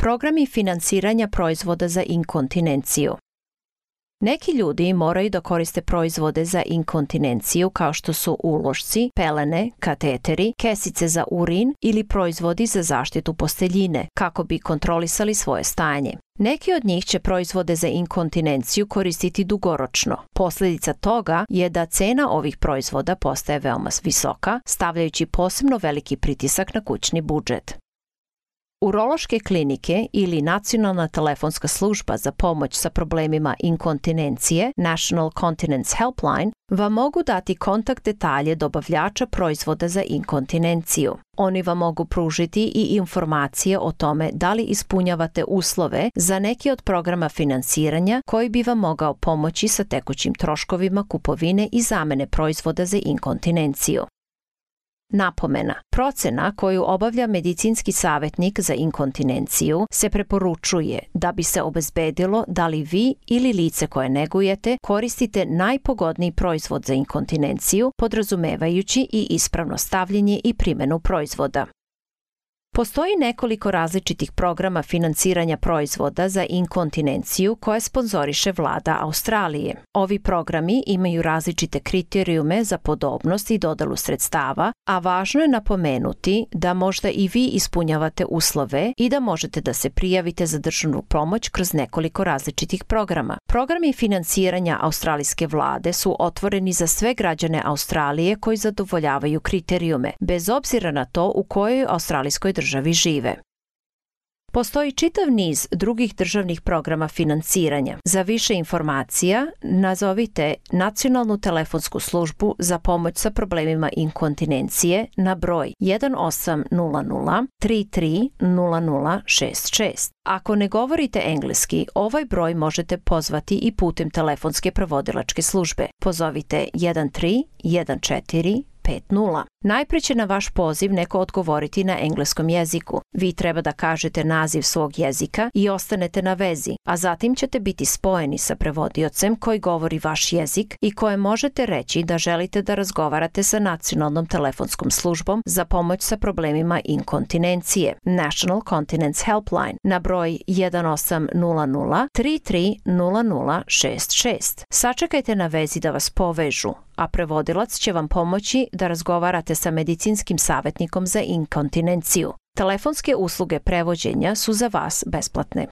Programi finansiranja proizvoda za inkontinenciju. Neki ljudi moraju da koriste proizvode za inkontinenciju kao što su ulošci, pelene, kateteri, kesice za urin ili proizvodi za zaštitu posteljine kako bi kontrolisali svoje stanje. Neki od njih će proizvode za inkontinenciju koristiti dugoročno. Posljedica toga je da cena ovih proizvoda postaje veoma visoka, stavljajući posebno veliki pritisak na kućni budžet. Urološke klinike ili Nacionalna telefonska služba za pomoć sa problemima inkontinencije, National Continence Helpline, vam mogu dati kontakt detalje dobavljača proizvoda za inkontinenciju. Oni vam mogu pružiti i informacije o tome da li ispunjavate uslove za neki od programa finansiranja koji bi vam mogao pomoći sa tekućim troškovima kupovine i zamene proizvoda za inkontinenciju. Napomena. Procena koju obavlja medicinski savjetnik za inkontinenciju se preporučuje da bi se obezbedilo da li vi ili lice koje negujete koristite najpogodniji proizvod za inkontinenciju, podrazumevajući i ispravno stavljanje i primjenu proizvoda. Postoji nekoliko različitih programa finansiranja proizvoda za inkontinenciju koje sponzoriše vlada Australije. Ovi programi imaju različite kriterijume za podobnost i dodelu sredstava, a važno je napomenuti da možda i vi ispunjavate uslove i da možete da se prijavite za državnu pomoć kroz nekoliko različitih programa. Programi finansiranja australijske vlade su otvoreni za sve građane Australije koji zadovoljavaju kriterijume, bez obzira na to u kojoj australijskoj državi žive. Postoji čitav niz drugih državnih programa finansiranja. Za više informacija nazovite Nacionalnu telefonsku službu za pomoć sa problemima inkontinencije na broj 1800 33 0066. Ako ne govorite engleski, ovaj broj možete pozvati i putem telefonske prevodilačke službe. Pozovite 1314 50. Najprije će na vaš poziv neko odgovoriti na engleskom jeziku. Vi treba da kažete naziv svog jezika i ostanete na vezi, a zatim ćete biti spojeni sa prevodiocem koji govori vaš jezik i koje možete reći da želite da razgovarate sa Nacionalnom telefonskom službom za pomoć sa problemima inkontinencije, National Continence Helpline, na broj 1800 33 0066. Sačekajte na vezi da vas povežu, a prevodilac će vam pomoći da razgovarate sa medicinskim savjetnikom za inkontinenciju. Telefonske usluge prevođenja su za vas besplatne.